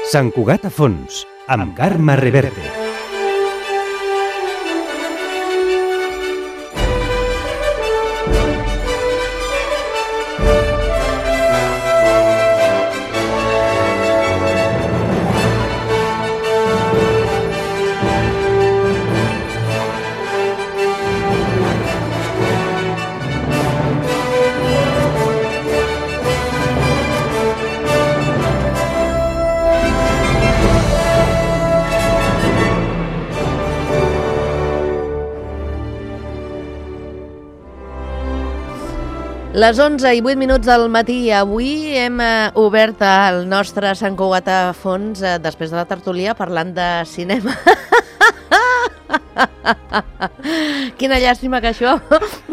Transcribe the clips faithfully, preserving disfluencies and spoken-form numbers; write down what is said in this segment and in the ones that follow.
Sant Cugat a fons, amb Carme Reverte. Les onze i vuit minuts del matí. Avui hem eh, obert el nostre Sant Cugat a fons eh, després de la tertúlia parlant de cinema. Quina llàstima que això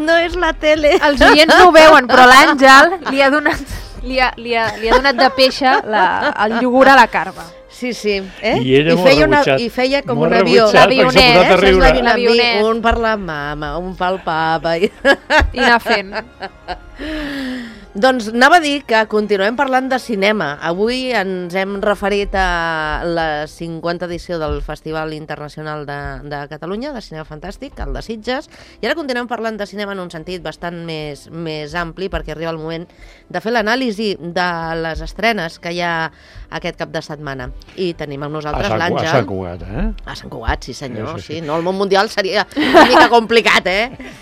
no és la tele. Els oients no ho veuen, però l'Àngel li ha donat, li ha, li ha, li ha donat de peixa la, el iogurt a la Carme. Sí, sí. Eh? I ella I feia, una, I feia com un avió. L'avionet, eh? l'avionet. L'avionet. Un per la mama, un pel papa. I, I anar fent. Doncs anava a dir que continuem parlant de cinema. Avui ens hem referit a la cinquanta edició del Festival Internacional de, de Catalunya, de Cinema Fantàstic, el de Sitges, i ara continuem parlant de cinema en un sentit bastant més, més ampli, perquè arriba el moment de fer l'anàlisi de les estrenes que hi ha aquest cap de setmana. I tenim amb nosaltres l'Àngel. A Sant Cugat, eh? A Sant Cugat, sí senyor, sí, sí. sí. No, el món mundial seria una mica complicat, eh?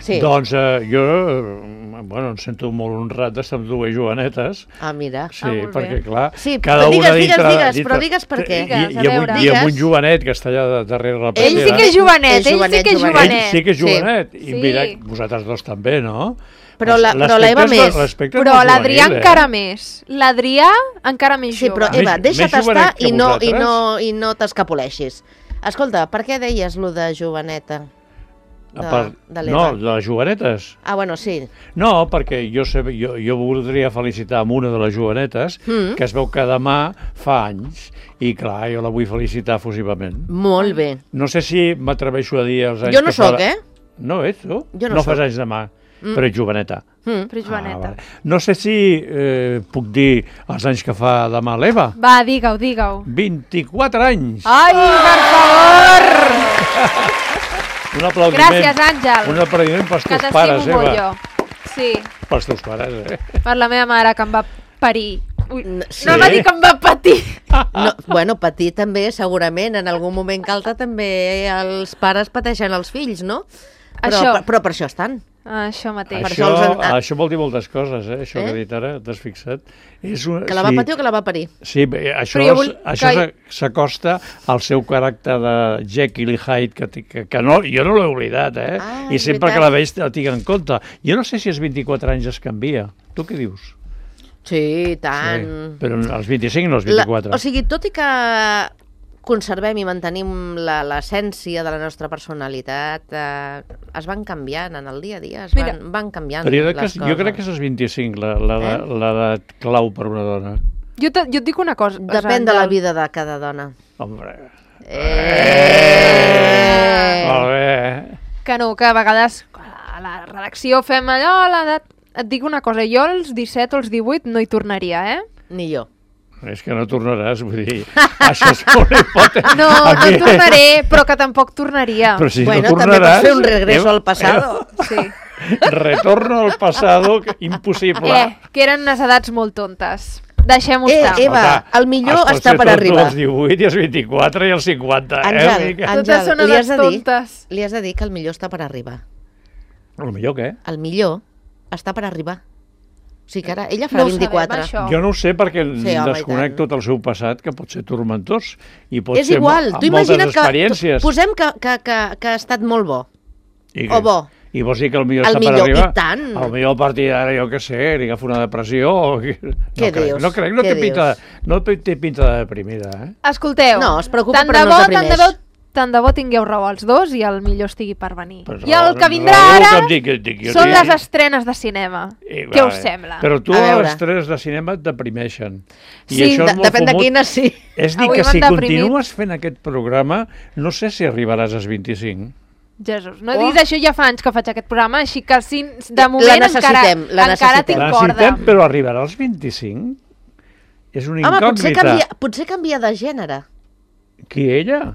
Sí. Doncs eh, jo, eh, bueno, em sento molt honrat d'estar amb dues jovenetes. Ah, mira. Sí, ah, perquè clar, sí, cada digues, una digues, dintre... digues, dintre, però digues per què. I, i, a i, veure. amb, I amb un jovenet que està allà darrere la Ell sí que és jovenet, ell sí que és jovenet. Ell sí que és jovenet. Sí. I mira, vosaltres dos també, no? Però l'Eva més. Però l'Adrià encara més. L'Adrià encara més jove. Sí, però Eva, deixa't estar i no, i no, i no t'escapoleixis. Escolta, per què deies lo de joveneta? De, part, de no, de les jovenetes. Ah, bueno, sí. No, perquè jo, sé, jo, jo voldria felicitar amb una de les jovenetes, mm. que es veu que demà fa anys, i clar, jo la vull felicitar efusivament. Molt bé. No sé si m'atreveixo a dir els anys jo no que soc, fa... eh? No ets, tu? Jo no, no soc. fas anys demà, mm. però ets joveneta. Mm. Però ets joveneta. Ah, vale. No sé si eh, puc dir els anys que fa demà l'Eva. Va, digue-ho, digue-ho. vint-i-quatre anys! Ai, per favor! Un aplaudiment. Gràcies, Àngel. Un aplaudiment pels que teus pares, Eva. Eva. Jo. Sí. Pels teus pares, eh? Per la meva mare, que em va parir. Ui, sí. No va dir que em va patir. No, bueno, patir també, segurament. En algun moment que altre també els pares pateixen els fills, no? Però, això. Per, però per això estan. Això mateix. Això, això, els... això vol dir moltes coses, eh? Això eh? que he dit ara, t'has fixat. És una, que la va sí, patir o que la va parir? Sí, això, vull... això que... s'acosta al seu caràcter de Jekyll i Hyde, que, que, que no, jo no l'he oblidat, eh? Ah, I sempre veritat. Que la veig la tinc en compte. Jo no sé si als vint-i-quatre anys es canvia. Tu què dius? Sí, tant. Sí, però als vint-i-cinc no als vint-i-quatre. La, o sigui, tot i que conservem i mantenim l'essència de la nostra personalitat, eh, es van canviant en el dia a dia, es van, van canviant però jo les que, coses. Jo crec que és als vint-i-cinc l'edat eh? clau per una dona. Jo, te, jo et dic una cosa. Depèn de la vida de cada dona. Hombre. Eh! eh! Molt bé. Que no, que a vegades a la redacció fem allò, l'edat... Et dic una cosa, jo als disset o als divuit no hi tornaria, eh? Ni jo. És que no tornaràs, vull dir, això és una hipòtesi. No, no tornaré, però que tampoc tornaria. Però si bueno, no tornaràs... també pots fer un regreso eh, al passado. Eh, sí. Retorno al passado, impossible. Eh, que eren unes edats molt tontes. Deixem-ho eh, estar. Eva, el millor està per arribar. Els divuit i els vint-i-quatre i els cinquanta. Àngel, eh, Àngel, són li, has de dir, tontes. li has de dir que el millor està per arribar. El millor què? El millor està per arribar. O sigui que ara ella farà no vint-i-quatre. Sabem, jo no ho sé perquè sí, desconec tot el seu passat, que pot ser turmentós i pot és ser igual, amb tu moltes imagina't experiències. Que, posem que, que, que, que ha estat molt bo. I o bo. I vols dir que el millor el està millor, per arribar? I tant. El millor partit d'ara, jo què sé, li agafa una depressió o... Què no dius? Crec, no crec, no Què té pinta, no té pinta de deprimida, eh? Escolteu, no, es preocupa tant però de bo, no es deprimeix. Tant de bo, tant de bo tingueu raó els dos i el millor estigui per venir. Però I el raó, que vindrà raó, ara que dic, dic, són dic. les estrenes de cinema. I, Què va, us sembla? Però tu A les veure. estrenes de cinema et deprimeixen. I Sí, això és de, molt depèn fumut. de quina, sí. És dir, Avui que m'han si deprimit. continues fent aquest programa, no sé si arribaràs als vint-i-cinc. Jesús, no Oh. diguis això, ja fa anys que faig aquest programa, així que si, de La moment encara, necessitem, la encara tinc necessitem. corda. Necessitem, però arribarà als vint-i-cinc? És una Home, potser incògnita. canvia, potser canvia de gènere. Qui, ella?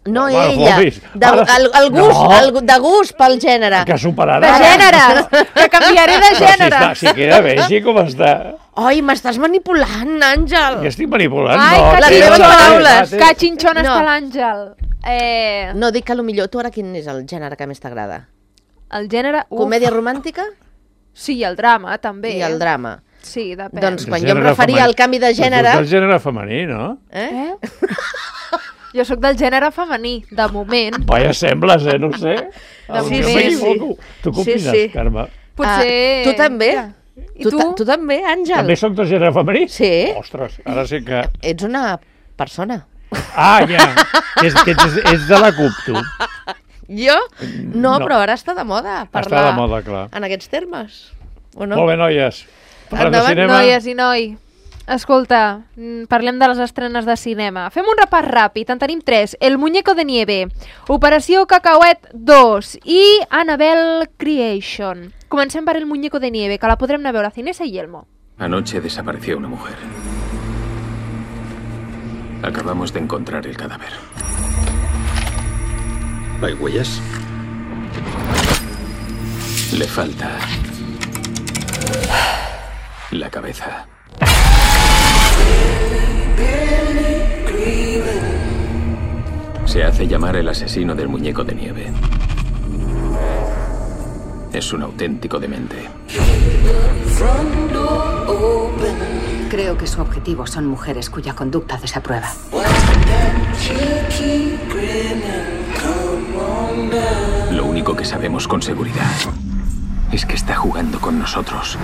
No Home, ella, Boris. de, Ara- el, el gust, No. el, de gust pel gènere. Que superarà. De gènere! Que canviaré de Però si, gènere! està, si queda vegi com està. Oi, m'estàs manipulant, Àngel. Jo estic manipulant. Ai, no, que les té- meves té- paraules. té- Que xinxona No. està l'Àngel. Eh, No, dic que potser tu ara quin és el gènere que més t'agrada? el gènere... Uf, Comèdia romàntica sí, el drama, també. i el drama. Sí, depèn. Doncs El quan jo em gènere referia femení. al canvi de gènere... Tu ets del gènere femení, no? Eh? Eh? Jo sóc del gènere femení, de moment. Vaja, sembles, eh? No ho sé. De Sí, moment. sí, sí. Tu què Sí, opines, sí. Carme? Potser... Ah, tu també? Ja. I Tu, tu? ta- tu també, Àngel? També sóc del gènere femení? Sí. Ostres, ara sí que... Ets una persona. Ah, ja. És, que ets, ets de la C U P, tu. Jo? No, No. però ara està de moda Està parlar de moda, clar. en aquests termes. O no? Molt bé, noies. Parlem de Endavant, cinema. Noies i noi, escolta, mm, parlem de les estrenes de cinema. Fem un repàs ràpid, en tenim tres. El muñeco de nieve, Operació Cacauet dos i Annabelle Creation. Comencem per El muñeco de nieve, que la podrem anar a veure a Cinesa i Yelmo. Anoche desapareció una mujer. Acabamos de encontrar el cadáver. ¿Hay huellas? Le falta la cabeza. Se hace llamar el asesino del muñeco de nieve. Es un auténtico demente. Creo que su objetivo son mujeres cuya conducta desaprueba. Lo único que sabemos con seguridad es que está jugando con nosotros.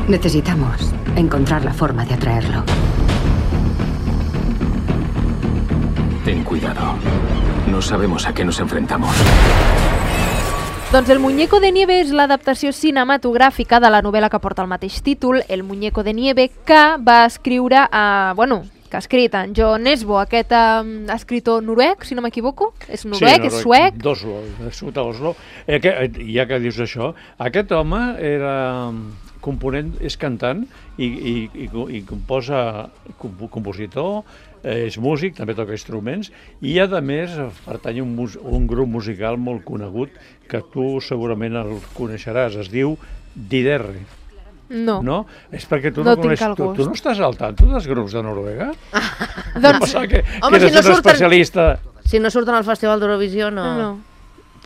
Necesitamos encontrar la forma de atraerlo. Ten cuidado. No sabemos a qué nos enfrentamos. Doncs El muñeco de nieve és l'adaptació cinematogràfica de la novel·la que porta el mateix títol, El muñeco de nieve, que va escriure a... bueno, que ha escrit en John Nesbo, aquest um, escritor noruec, si no m'equivoco. És noruec, sí, és suec. D'Oslo, nascut a Oslo. Eh, que, eh, ja que dius això, aquest home era component, és cantant i, i, i, i composa, comp compositor, eh, és músic, també toca instruments i a més pertany a un, mus un grup musical molt conegut que tu segurament el coneixeràs, es diu Diderri. No. No? És perquè tu No no, tinc coneix, el tu, gust. tu no estàs al tanto dels grups de Noruega? Doncs, Pensava que, Home, que eres si no un surten- especialista... Si no surten al Festival d'Eurovisió, no... no.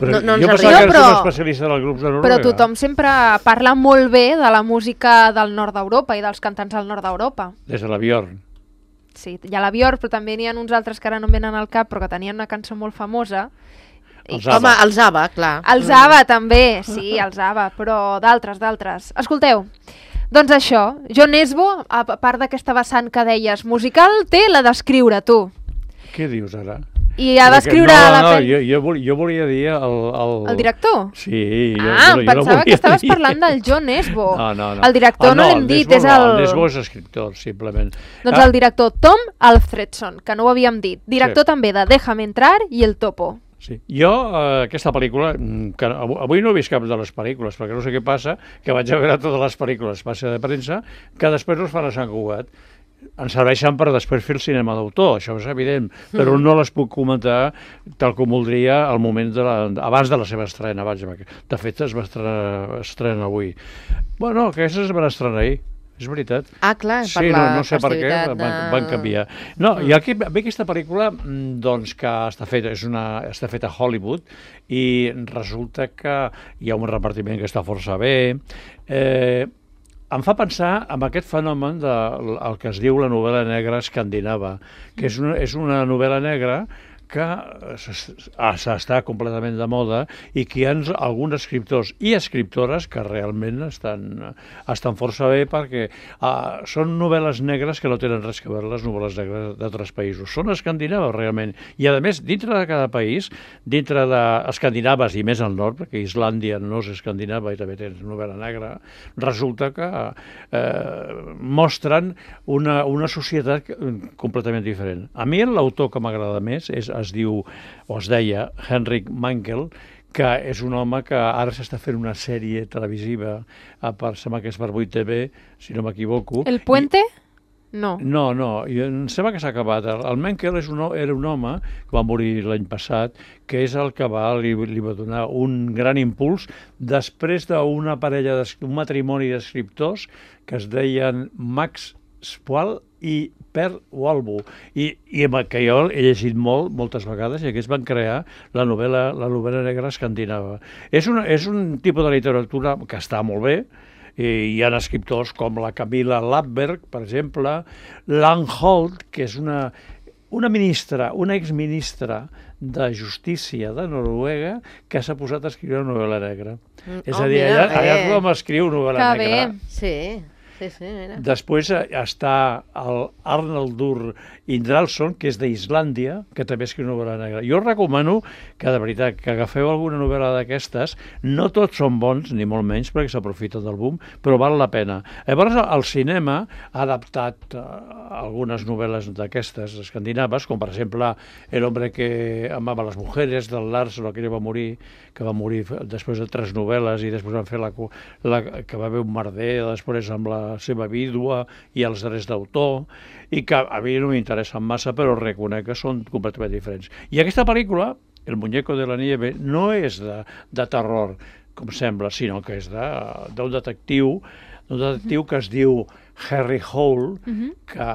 Però No- no ens jo arriba. pensava que eres No, un però- especialista dels grups de Noruega. Però tothom sempre parla molt bé de la música del nord d'Europa i dels cantants del nord d'Europa. Des de la Bjorn. Sí, hi ha la Björk, però també n'hi ha uns altres que ara no em venen al cap, però que tenien una cançó molt famosa. I- Els ABBA. Home, els ABBA, clar. Els ABBA també, sí, els ABBA, però d'altres, d'altres. Escolteu, doncs això, John Nesbo, a part d'aquesta vessant que deies musical, té la d'escriure, tu. Què dius ara? I ha d'escriure no, la no, pel- jo, jo, volia, jo volia dir el... El, el director. Sí. Jo, Ah, jo, em jo no pensava que volia estaves dir- parlant del John Nesbo. No, no, no. El director ah, no, no l'hem el dit, Nesbo és no, el... el Nesbo és escriptor, simplement. Doncs Ah, el director Tom Alfredson, que no ho havíem dit. Director Sí. també de Déjame entrar i El Topo. Sí. Jo, eh, aquesta pel·lícula, mm, que avui avui no he vist cap de les pel·lícules, perquè no sé què passa, que vaig a veure totes les pel·lícules passa de premsa, que després no es fan a Sant Cugat. Ens serveixen per després fer el cinema d'autor, això és evident, però no les puc comentar tal com voldria al moment de la, abans de la seva estrena. Vaja, de fet, es va estrenar, estrena avui. Bueno, aquestes es van estrenar ahir, és veritat. Ah, clar, per Sí, la no, no sé per què, festivitat van, de- van canviar. No, i aquí ve aquesta pel·lícula mm, doncs, que està feta, és una, està feta a Hollywood i resulta que hi ha un repartiment que està força bé. Eh, em fa pensar en aquest fenomen del el que es diu la novel·la negra escandinava, que és una, és una novel·la negra que s'està completament de moda i que hi ha alguns escriptors i escriptores que realment estan, estan força bé perquè uh, són novel·les negres que no tenen res a veure les novel·les negres d'altres països. Són escandinaves realment i a més dintre de cada país, dintre d'escandinaves i més al nord, perquè Islàndia no és escandinava i també té novel·la negra, resulta que eh, mostren una, una societat completament diferent. A mi l'autor que m'agrada més és es diu, o es deia, Henrik Mankell, que és un home que ara s'està fent una sèrie televisiva, a part, sembla que és per vuit T V, si no m'equivoco. El Puente? No. No, no, i em sembla que s'ha acabat. El Menkel és un, era un home que va morir l'any passat, que és el que va, li, li va donar un gran impuls després d'una parella, un matrimoni d'escriptors que es deien Max Spall i Per Walbo, i, i que jo he llegit molt, moltes vegades, i aquests van crear la novel·la, la novel·la negra escandinava. És, una, és un tipus de literatura que està molt bé, i hi ha escriptors com la Camilla Lapberg, per exemple, Langholt, que és una, una ministra, una exministra de Justícia de Noruega, que s'ha posat a escriure una novel·la negra. Mm, és oh, a dir, mira, allà, allà tothom escriu novel·la que negra. Bé. Sí. Sí, sí, mira. Després està el Arnaldur Indralsson, que és d'Islàndia, que també escriu novel·la negra. Jo recomano que, de veritat, que agafeu alguna novel·la d'aquestes. No tots són bons, ni molt menys, perquè s'aprofiten del boom, però val la pena. Llavors, el cinema ha adaptat uh, algunes novel·les d'aquestes escandinaves, com per exemple El hombre que amava les mujeres, del Larsson, que va morir, que va morir després de tres novel·les, i després van fer la, la que va haver un merder, després amb la seva vídua i els drets d'autor, i que a mi no m'interessen massa, però reconec que són completament diferents. I aquesta pel·lícula, El muñeco de la nieve, no és de, de terror, com sembla, sinó que és d'un de, detectiu, d'un detectiu que es diu Harry Hole, uh-huh. que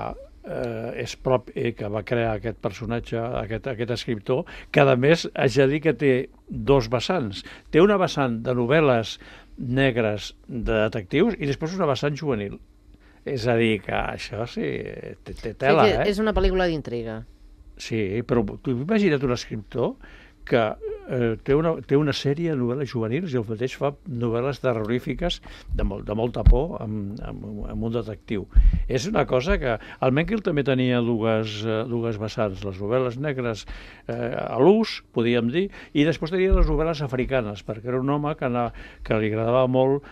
eh, és prop, eh, que va crear aquest personatge, aquest, aquest escriptor, que a més haig de dir que té dos vessants. Té una vessant de novel·les negres de detectius i després una vessant juvenil. És a dir, que això sí, té, té tela, sí, eh? És una pel·lícula d'intriga. Sí, però tu imagina't un escriptor que eh, té, una, té una sèrie de novel·les juvenils i el mateix fa novel·les terrorífiques de, molt, de molta por amb, amb, amb un detectiu. És una cosa que... El Menkel també tenia dues, eh, dues vessants, les novel·les negres eh, a l'ús, podíem dir, i després tenia les novel·les africanes, perquè era un home que, anava, que li agradava molt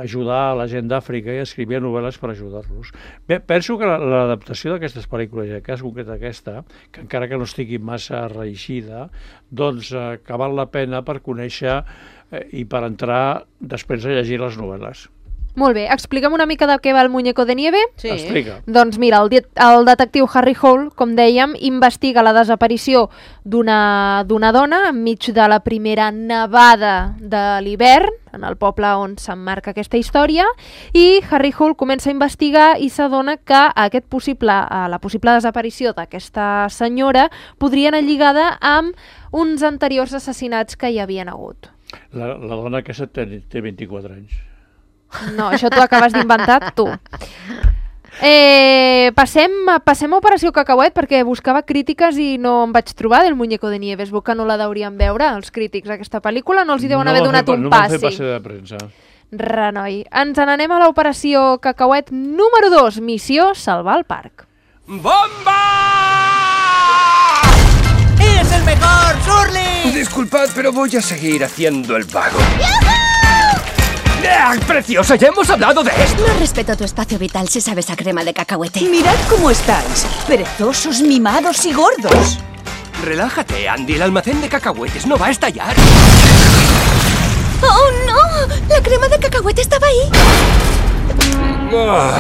ajudar a la gent d'Àfrica i escrivia novel·les per ajudar-los. Bé, penso que l'adaptació d'aquestes pel·lícules, i en cas concret aquesta, que encara que no estigui massa reeixida, doncs eh, que val la pena per conèixer eh, i per entrar després a llegir les novel·les. Molt bé, explica'm una mica de què va el Muñeco de Nieve. Sí. Explica. Doncs mira, el, el detectiu Harry Hole, com dèiem, investiga la desaparició d'una d'una dona enmig de la primera nevada de l'hivern, en el poble on s'emmarca aquesta història, i Harry Hole comença a investigar i s'adona que aquest possible, la possible desaparició d'aquesta senyora podria anar lligada amb uns anteriors assassinats que hi havien hagut. La, la dona aquesta té, té vint-i-quatre anys. No, això t'ho acabes d'inventar tu. Eh, passem, passem a Operació Cacauet, perquè buscava crítiques i no em vaig trobar del Muñeco de Nieve. Es veu que no la deurien veure, els crítics, aquesta pel·lícula. No els hi deuen no haver donat fer, un no passi. No van fer passe de premsa. Renoi. Ens n'anem a l'Operació Cacauet número dos, missió Salvar el Parc. ¡Bomba! ¡Es el mejor, Surly! Disculpad, pero voy a seguir haciendo el vago. ¡Ah, preciosa! ¡Ya hemos hablado de esto! No respeto tu espacio vital si sabes a crema de cacahuete. Mirad cómo estáis, perezosos, mimados y gordos. Relájate, Andy. El almacén de cacahuetes no va a estallar. ¡Oh, no! La crema de cacahuete estaba ahí. Ah.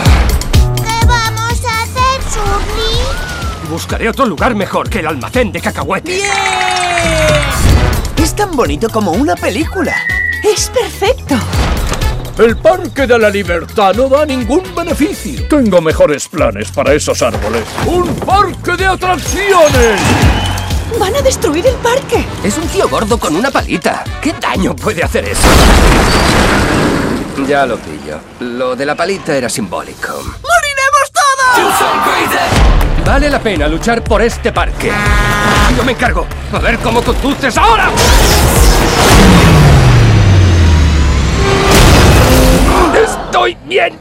¿Qué vamos a hacer, Surly? Buscaré otro lugar mejor que el almacén de cacahuetes. ¡Bien! Es tan bonito como una película. ¡Es perfecto! El Parque de la Libertad no da ningún beneficio. Tengo mejores planes para esos árboles. ¡Un parque de atracciones! ¡Van a destruir el parque! Es un tío gordo con una palita. ¿Qué daño puede hacer eso? Ya lo pillo. Lo de la palita era simbólico. ¡Moriremos todos! Vale la pena luchar por este parque. Yo me encargo. A ver cómo conduces ahora. Estoy bien,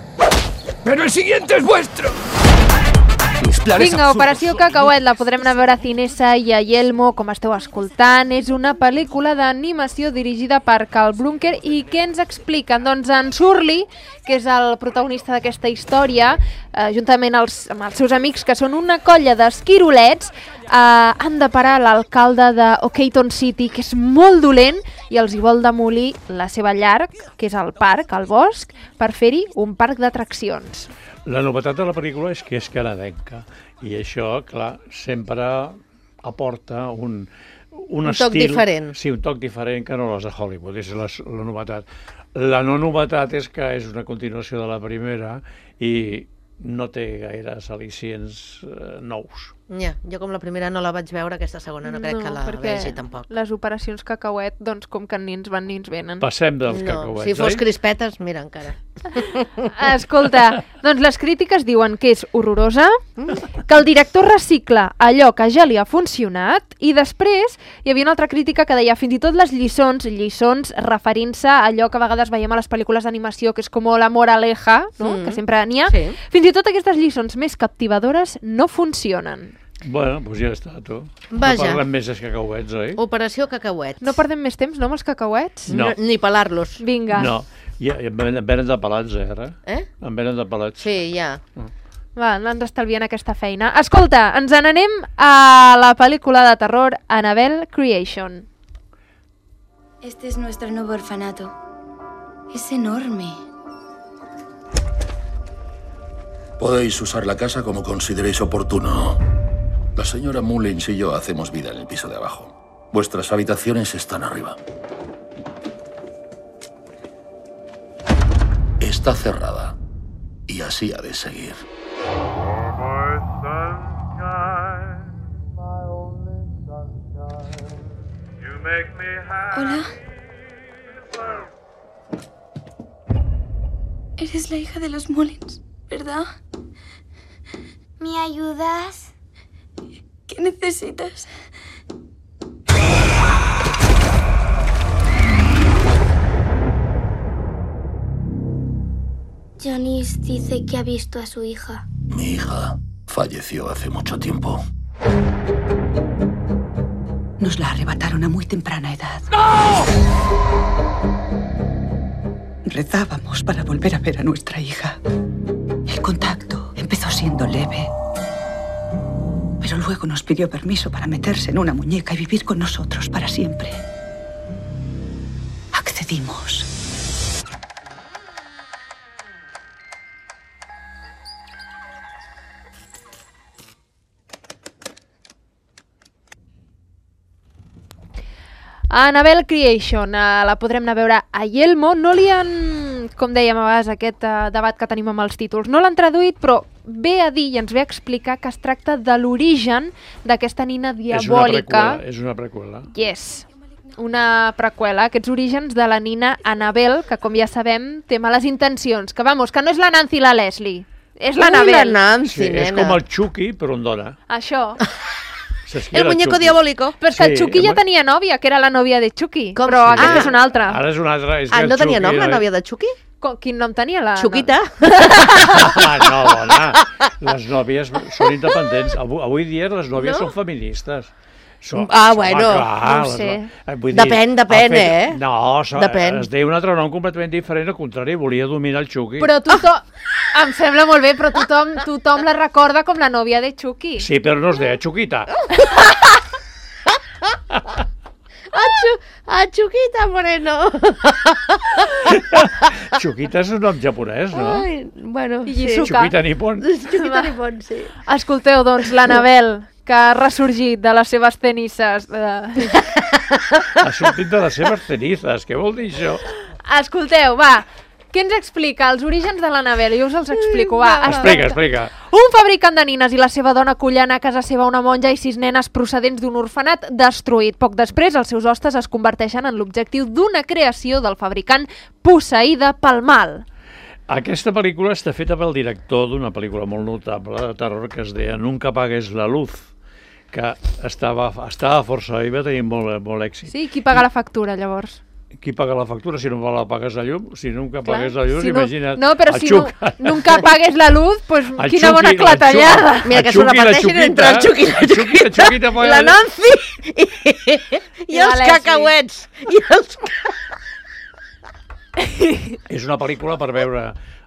pero el siguiente es vuestro. Mis planes Vinga, absurdos. Operació Cacauet, la podrem anar a veure a Cinesa i a Yelmo, com esteu escoltant. És una pel·lícula d'animació dirigida per Carl Brunker i què ens expliquen? Doncs en Surly, que és el protagonista d'aquesta història, eh, juntament als, amb els seus amics, que són una colla d'esquirolets, eh, han de parar l'alcalde d'Okeyton City, que és molt dolent, i els hi vol demolir la seva llar, que és el parc, el bosc, per fer-hi un parc d'atraccions. La novetat de la pel·lícula és que és canadenca i això, clar, sempre aporta un, un, Un estil... toc diferent. Sí, un toc diferent que no les de Hollywood, és la, la novetat. La no novetat és que és una continuació de la primera i no té gaires al·licients eh, nous. Ja, jo com la primera no la vaig veure, aquesta segona no crec que la vegi tampoc. Les operacions Cacauet, doncs com que ni ens van ni ens venen. Passem dels No, cacauets, si fos oi? crispetes, mira, encara. Escolta, doncs les crítiques diuen que és horrorosa, que el director recicla allò que ja li ha funcionat, i després hi havia una altra crítica que deia fins i tot les lliçons, lliçons referint-se a allò que a vegades veiem a les pel·lícules d'animació, que és com la moraleja, no? Mm. Que sempre n'hi ha. Sí. Fins i tot aquestes lliçons més captivadores no funcionen. Bueno, doncs ja està, tu. Vaja. No parlem més dels cacauets, oi? Operació Cacauet. No perdem més temps, no, amb els cacauets? No. Ni pelar-los. Vinga. No, ja, ja, em venen de pelats, eh, ara. Eh? Em venen de pelats. Sí, ja. Va, ens estalvien aquesta feina. Escolta, ens n'anem a la pel·lícula de terror Annabelle Creation. Este es nuestro nuevo orfanato. Es enorme. Podéis usar la casa como consideréis oportuno. La señora Mullins y yo hacemos vida en el piso de abajo. Vuestras habitaciones están arriba. Está cerrada. Y así ha de seguir. Hola. Eres la hija de los Mullins, ¿verdad? ¿Me ayudas? ¿Qué necesitas? Janice dice que ha visto a su hija. Mi hija falleció hace mucho tiempo. Nos la arrebataron a muy temprana edad. ¡No! Rezábamos para volver a ver a nuestra hija. El contacto empezó siendo leve. Pero luego nos pidió permiso para meterse en una muñeca y vivir con nosotros para siempre. Accedimos. Annabelle Creation, eh, la podrem anar a veure a Yelmo. No li han, com dèiem a vegades, aquest eh, debat que tenim amb els títols, no l'han traduït, però ve a dir i ens ve a explicar que es tracta de l'origen d'aquesta nina diabòlica. És una preqüela. Yes, una preqüela, aquests orígens de la nina Annabelle, que com ja sabem té males intencions, que vamos, que no és la Nancy i la Leslie, és l'Annabelle. La Nancy, Sí, és nena. com el Chucky, però en dona. Això. Saps qui El era muñeco Chucky? diabólico. Però és que el Sí, Chucky ja el- tenia nòvia, que era la nòvia de Chucky, Com però sí? aquest Ah. és un altre. Ara és un altre. És que Ah, el no tenia nom, Chucky la era- nòvia de Chucky? Co- Quin nom tenia la... Xuquita? Ah, no, dona. Les nòvies són independents. Avui, avui dia les nòvies No? són feministes. Són, Ah, home, bueno, clar, no ho les sé. no- eh, vull Depèn, depèn, ha fet- eh? No, so, Depèn. es deia un altre nom completament diferent, al contrari, volia dominar el Chucky. Però tothom... Em sembla molt bé, però tothom, tothom la recorda com la nòvia de Chucky. Sí, però no es deia Chuquita. Ah, Chu- ah, Chuquita Moreno. Chuquita és un nom japonès, no? Ai, bueno, I sí. Yizuka. Chuquita Nippon. Chuquita Nippon, sí. Escolteu, doncs, l'Annabelle, que ha ressorgit de les seves tenisses. De... Ha sortit de les seves cenizes. Què vol dir això? Escolteu, va, què ens explica? Els orígens de l'Annabelle, jo us els explico, va. Es Explica, tracta- explica. Un fabricant de nines i la seva dona acullen a casa seva una monja i sis nenes procedents d'un orfenat destruït. Poc després, els seus hostes es converteixen en l'objectiu d'una creació del fabricant posseïda pel mal. Aquesta pel·lícula està feta pel director d'una pel·lícula molt notable de terror que es deia Nunca apagues la luz, que estava, estava força bé i va tenir molt, molt èxit. Sí, qui paga la factura, llavors? qui paga la factura si no me la pagues la llum? Si nunca pagues la llum, si no, imagina't. No, però el si Xuc. no, nunca pagues la luz, pues El quina Xuc bona i- el clatellada. Xuc- Mira, que el s'ho Xuc i la reparteixen entre el Xuc i la El Xuc i la Xuquita Xuquita, poden- la Nancy i, i els l'Esli. cacauets. I els... És una pel·lícula per veure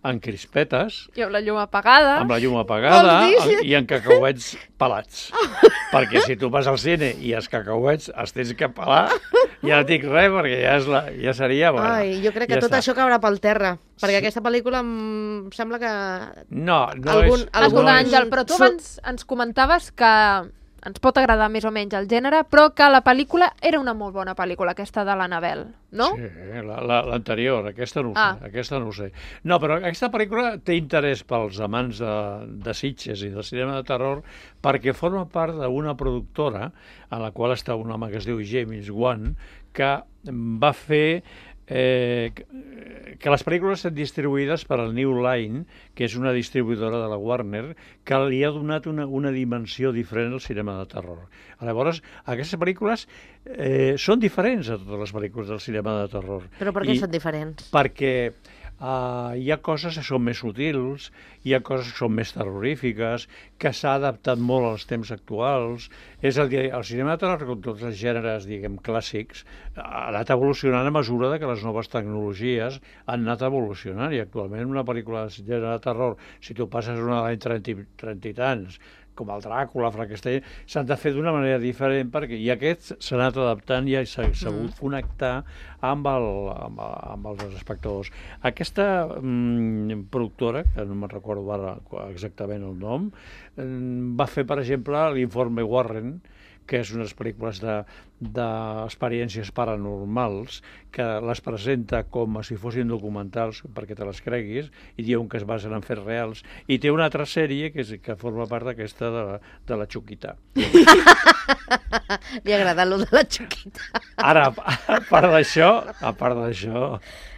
en crispetes, I amb la llum apagada. amb la llum apagada Vols dir? i en cacauets pelats. Perquè si tu vas al cine i els cacauets els tens que pelar, ja no dic res, perquè ja, és la, ja seria... Bueno, Ai, jo crec que ja tot està. això caurà pel terra, perquè aquesta pel·lícula em sembla que... No, no Algun- és... algun- Escolta, no és- Àngel, però tu Su- abans ens comentaves que ens pot agradar més o menys el gènere, però que la pel·lícula era una molt bona pel·lícula, aquesta de l'Anabel, no? Sí, la- la- l'anterior, aquesta no ho Ah. sé, aquesta no ho sé. No, però aquesta pel·lícula té interès pels amants de, de Sitges i del cinema de terror perquè forma part d'una productora en la qual està un home que es diu James Wan, que va fer eh, que- que les pel·lícules estan distribuïdes per al New Line, que és una distribuïdora de la Warner, que li ha donat una, una dimensió diferent al cinema de terror. Llavors, aquestes pel·lícules eh, són diferents a totes les pel·lícules del cinema de terror. Però per què I són diferents? Perquè uh, hi ha coses que són més sutils, hi ha coses que són més terrorífiques, que s'ha adaptat molt als temps actuals. És a dir, el cinema de terror, com tots els gèneres, diguem, clàssics, ha anat evolucionant a mesura de que les noves tecnologies han anat evolucionant, i actualment una pel·lícula de gènere de terror, si tu passes una de l'any trenta, i- trenta i tants, com el Dràcula, Frankenstein, s'han de fer d'una manera diferent, perquè i aquests s'han anat adaptant i s'ha sabut connectar amb, el, amb, amb els espectadors. Aquesta mm, productora, que no me'n recordo ara exactament el nom, mm, va fer, per exemple, l'Informe Warren, que és unes pel·lícules de- d'experiències paranormals, que les presenta com si fossin documentals perquè te les creguis, i diuen que es basen en fets reals, i té una altra sèrie que, és, que forma part d'aquesta de, la- de la Xuquita. Li ha agradat lo de la Xuquita. Ara, a part d'això, a part d'això,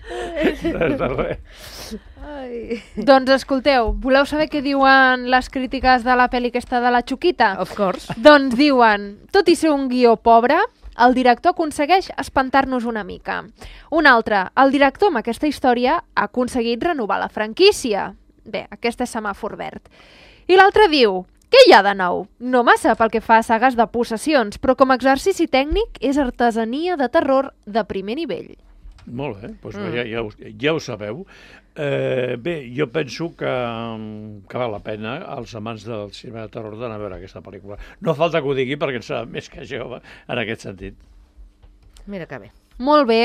res de res. Ai. Doncs escolteu, voleu saber què diuen les crítiques de la pel·li aquesta de la Xuquita? Of course. Doncs diuen, tot i ser un guió pobre, el director aconsegueix espantar-nos una mica. Un altre, el director amb aquesta història ha aconseguit renovar la franquícia. Bé, aquest és semàfor verd. I l'altre diu, què hi ha de nou? No massa pel que fa a sagues de possessions, però com a exercici tècnic és artesania de terror de primer nivell. Molt bé, doncs Mm. ja, ja, ho, ja ho sabeu. Eh, bé, jo penso que, que val la pena als amants del cinema de terror d'anar a veure aquesta pel·lícula. No falta que ho digui perquè en sap més que jo en aquest sentit. Mira que bé. Molt bé.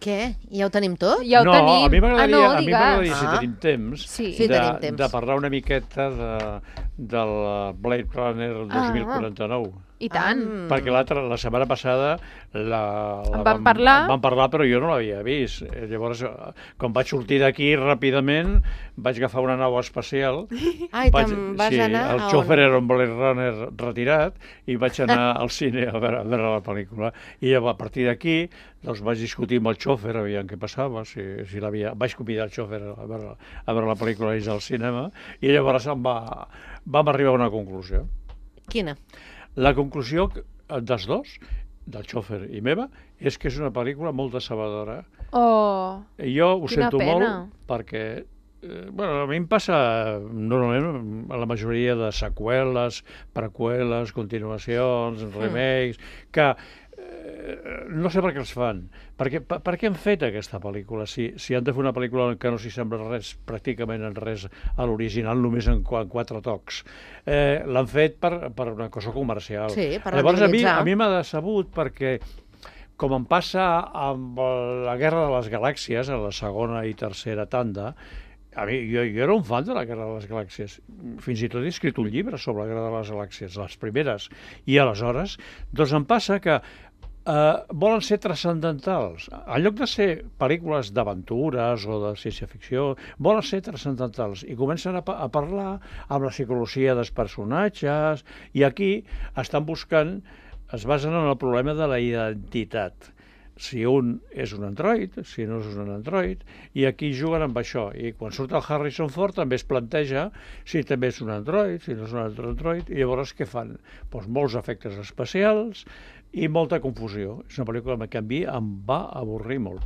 Què? Ja ho tenim tot? Ja ho no, tenim. a mi m'agradaria, ah, no, a mi m'agradaria, si Ah. tenim temps, Sí. Sí, de, tenim temps. de parlar una miqueta de, del Blade Runner dos mil quaranta-nou. I tant. Mm. Perquè l'altra, la setmana passada la, la En vam parlar. en vam parlar, però jo no l'havia vist. Eh, Llavors, eh, quan vaig sortir d'aquí ràpidament, vaig agafar una nau espacial. Ai, vaig, te'n vas sí, anar el a on? xòfer era un Blade Runner retirat i vaig anar al cine a veure, a veure la pel·lícula. I llavors, a partir d'aquí, doncs vaig discutir amb el xòfer, aviam què passava, si, si l'havia... Vaig convidar el xòfer a veure, a veure la pel·lícula ells al cinema, i llavors em va, vam arribar a una conclusió. Quina? La conclusió dels dos, del xòfer i meva, és que és una pel·lícula molt decebedora. Oh, Jo ho quina sento pena. molt perquè eh, bueno, a mi em passa normalment a la majoria de seqüeles, preqüeles, continuacions, remakes, que eh, no sé per què els fan. Per què, per, per què han fet aquesta pel·lícula? Si, si han de fer una pel·lícula que no s'hi sembla res, pràcticament en res a l'original, només en, qu en quatre tocs. Eh, L'han fet per, per una cosa comercial. Sí, per Llavors, a mi, rendibilitzar. a mi m'ha decebut perquè com em passa amb la Guerra de les Galàxies, a la segona i tercera tanda, a mi, jo, jo era un fan de la Guerra de les Galàxies. Fins i tot he escrit un llibre sobre la Guerra de les Galàxies, les primeres. I aleshores, doncs em passa que eh, volen ser transcendentals. En lloc de ser pel·lícules d'aventures o de ciència-ficció, volen ser transcendentals. I comencen a, pa a parlar amb la psicologia dels personatges, i aquí estan buscant, es basen en el problema de la identitat. Si un és un android, si no és un android, i aquí juguen amb això. I quan surt el Harrison Ford també es planteja si també és un android, si no és un altre android, i llavors què fan? Doncs molts efectes especials, i molta confusió. És una pel·lícula que a mi em va avorrir molt.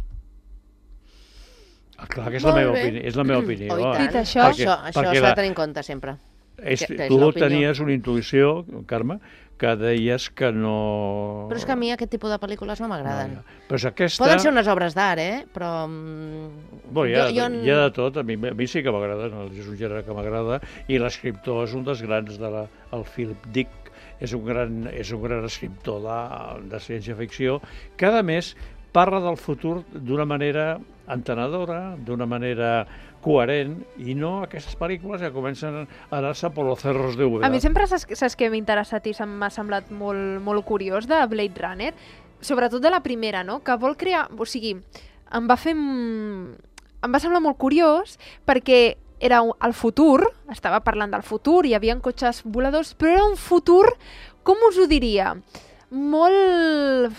Clar que és la meva opinió. És la meva opinió. Oh, i tant. Dit això, això, això s'ha de tenir en compte sempre. És, que, que és tu l'opinió. tenies una intuïció, Carme, que deies que no... Però és que a mi aquest tipus de pel·lícules no m'agraden. No, ja. Però és aquesta... Poden ser unes obres d'art, eh? Però... Bueno, hi, ha, jo, jo... hi ha de tot, a mi, a mi sí que m'agrada, no? És un gènere que m'agrada, i l'escriptor és un dels grans de la... el Philip Dick, és un gran, és un gran escriptor de, de ciència-ficció, que a més parla del futur d'una manera entenedora, d'una manera coherent, i no aquestes pel·lícules que comencen a anar-se per los cerros de Úbeda. A mi sempre saps, saps què m'ha interessat i m'ha semblat molt, molt curiós de Blade Runner, sobretot de la primera, no? Que vol crear... O sigui, em va fer... Em va semblar molt curiós perquè era el futur, estava parlant del futur, hi havia cotxes voladors, però era un futur, com us ho diria? Molt...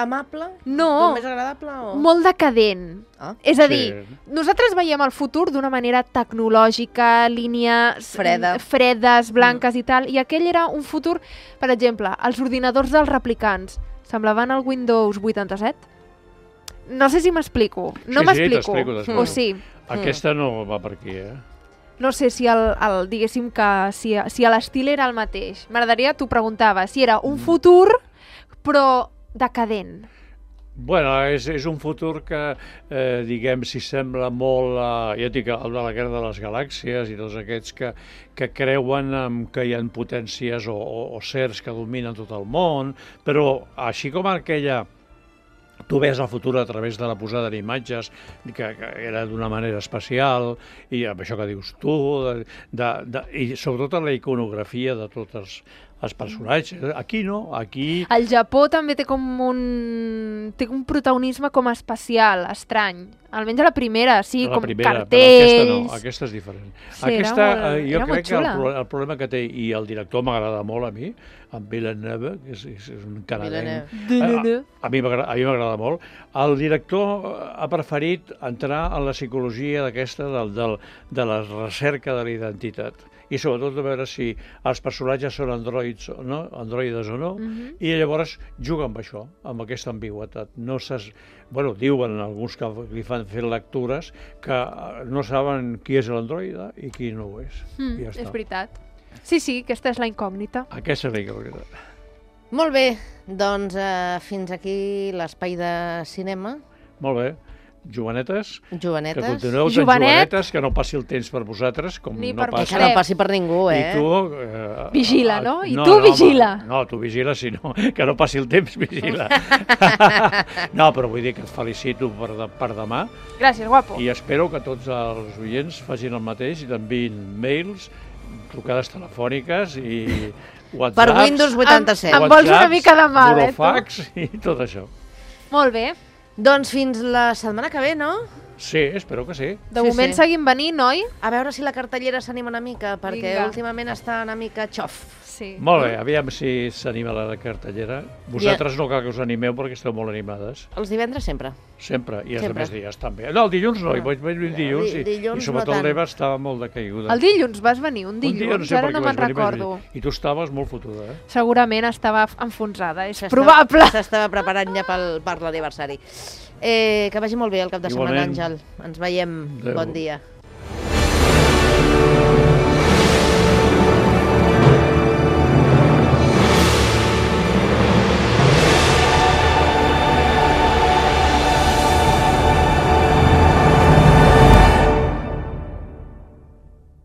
Amable? No. Més agradable? O... Molt decadent. Ah, és a dir, sí. Nosaltres veiem el futur d'una manera tecnològica, línies Freda. fredes, blanques mm. i tal, i aquell era un futur, per exemple, els ordinadors dels replicants semblaven el Windows vuitanta-set? No sé si m'explico. No sí, m'explico. Sí, t'explico. O sí. Aquesta no va per aquí, eh? No sé si el, el diguéssim que si, si l'estil era el mateix. M'agradaria, tu preguntava, si era un futur, però decadent. Bueno, és, és un futur que, eh, diguem, si sembla molt, eh, ja et dic, el de la Guerra de les Galàxies i tots aquests que, que creuen en que hi ha potències o, o, o certs que dominen tot el món, però així com aquella... Tu ves el futur a través de la posada d'imatges, que, que era d'una manera especial, i amb això que dius tu, de, de, de, i sobretot la iconografia de tots els, els personatges. Aquí no, aquí... El Japó també té com un... té un protagonisme com especial, estrany. Almenys a la primera, sí, la com primera, cartells... Aquesta no, aquesta és diferent. Sí, aquesta, era molt, jo era crec molt que el, xula. el problema que té, i el director m'agrada molt a mi, en Villeneuve, que és, és un canadenc. A, a mi m'agrada molt. El director ha preferit entrar en la psicologia d'aquesta, del, del, de la recerca de la identitat. I sobretot de veure si els personatges són androids o no, androides o no, Mhm. i llavors juga amb això, amb aquesta ambigüetat. No saps, bueno, diuen alguns que li fan fer lectures que no saben qui és l'androide i qui no ho és. Mm, I ja està. és veritat. Sí, sí, aquesta és la incògnita. Aquesta és la incògnita. Molt bé, doncs eh, fins aquí l'espai de cinema. Molt bé. Jovenetes, Jovenetes. que continueu tan Jovenet. jovenetes, que no passi el temps per vosaltres, com Ni no per passa. Que no passi per ningú, eh? I tu... Eh, Vigila, no? I no, tu no, vigila. home, no, tu vigila, si no, que no passi el temps, vigila. No, però vull dir que et felicito per, de, per demà Gràcies, guapo. i espero que tots els oients facin el mateix i t'enviïn mails, trucades telefòniques i whatsapps... Per Windows vuitanta-set. Em- em vols una mica de mal, eh, tu? burofax i tot això. Molt bé. Doncs fins la setmana que ve, no? Sí, espero que sí. De Sí, moment sí. seguim venint, oi? A veure si la cartellera s'anima una mica, perquè Vinga. últimament està una mica xof. Sí. Molt bé, aviam si s'anima la cartellera. Vosaltres no cal que us animeu perquè esteu molt animades. Els divendres sempre. Sempre, i els Sempre. altres dies també. No, el dilluns no, Ah. hi vaig venir un dilluns, Di- i, dilluns i sobretot no tant. l'Eva estava molt decaiguda. El dilluns vas venir, un Un dilluns, dia no sé ara per no què me'n vaig venir, vaig recordo. venir. I tu estaves molt fotuda, eh? Segurament estava enfonsada, és S'estava- probable. S'estava preparant ja pel, per l'aniversari. Eh, que vagi molt bé el cap de setmana, Igualment. Àngel. Ens veiem. Adéu. Bon dia.